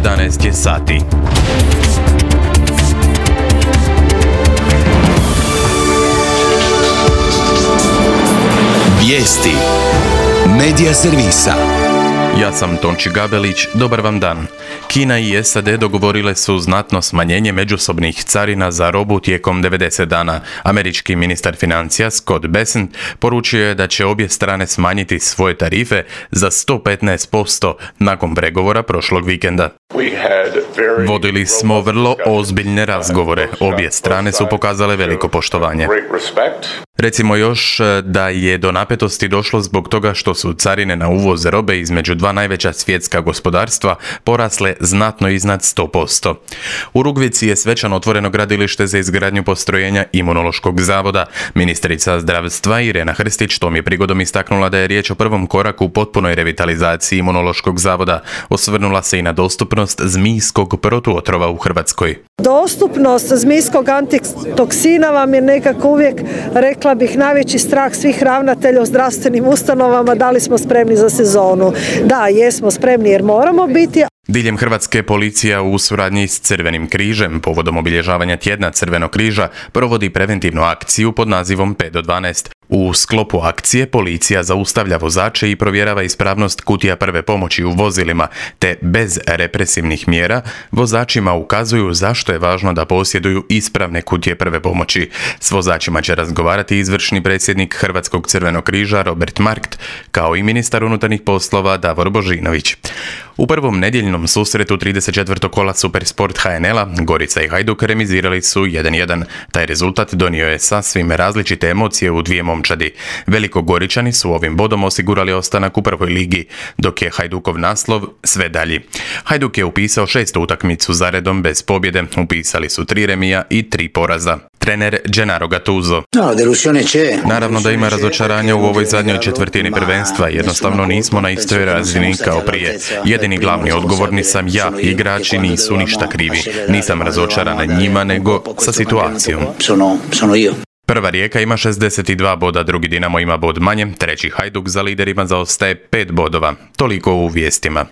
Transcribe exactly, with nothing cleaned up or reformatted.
jedanaest je sati. Vijesti Medija servisa. Ja sam Tonči Gabelić, dobar vam dan. Kina i S A D dogovorile su znatno smanjenje međusobnih carina za robu tijekom devedeset dana. Američki ministar financija Scott Bessent poručio je da će obje strane smanjiti svoje tarife za sto petnaest posto nakon pregovora prošlog vikenda. Vodili smo vrlo ozbiljne razgovore. Obje strane su pokazale veliko poštovanje. Recimo još da je do napetosti došlo zbog toga što su carine na uvoz robe između dva najveća svjetska gospodarstva porasle znatno iznad sto posto. U Rugvici je svečano otvoreno gradilište za izgradnju postrojenja Imunološkog zavoda. Ministrica zdravstva Irena Hrstić tom je prigodom istaknula da je riječ o prvom koraku u potpunoj revitalizaciji Imunološkog zavoda. Osvrnula se i na dostupnost zmijskog protuotrova u Hrvatskoj. Dostupnost zmijskog antitoksina vam je nekako uvijek, rekla bih, najveći strah svih ravnatelja u zdravstvenim ustanovama. Da li smo spremni za sezonu? Da, jesmo spremni jer moramo biti. Diljem Hrvatske policija u suradnji s Crvenim križem povodom obilježavanja tjedna Crvenog križa provodi preventivnu akciju pod nazivom pet do dvanaest. U sklopu akcije policija zaustavlja vozače i provjerava ispravnost kutija prve pomoći u vozilima, te bez represivnih mjera vozačima ukazuju zašto je važno da posjeduju ispravne kutije prve pomoći. S vozačima će razgovarati izvršni predsjednik Hrvatskog Crvenog križa Robert Markt, kao i ministar unutarnjih poslova Davor Božinović. U prvom nedjeljnom susretu trideset četvrtog kola Supersport H N L-a Gorica i Hajduk remizirali su jedan jedan. Taj rezultat donio je sasvim različite emocije u dvije momčadi. Velikogoričani su ovim bodom osigurali ostanak u prvoj ligi, dok je Hajdukov naslov sve dalji. Hajduk je upisao šestu utakmicu zaredom bez pobjede, upisali su tri remija i tri poraza. Trener Gennaro Gattuso. Naravno da ima razočaranja u ovoj zadnjoj četvrtini prvenstva, jednostavno nismo na istoj razini kao prije. Jedini glavni odgovorni sam ja, igrači nisu ništa krivi. Nisam razočaran njima, nego sa situacijom. Prva Rijeka ima šezdeset dva boda, drugi Dinamo ima bod manje, treći Hajduk za liderima zaostaje pet bodova. Toliko u vijestima.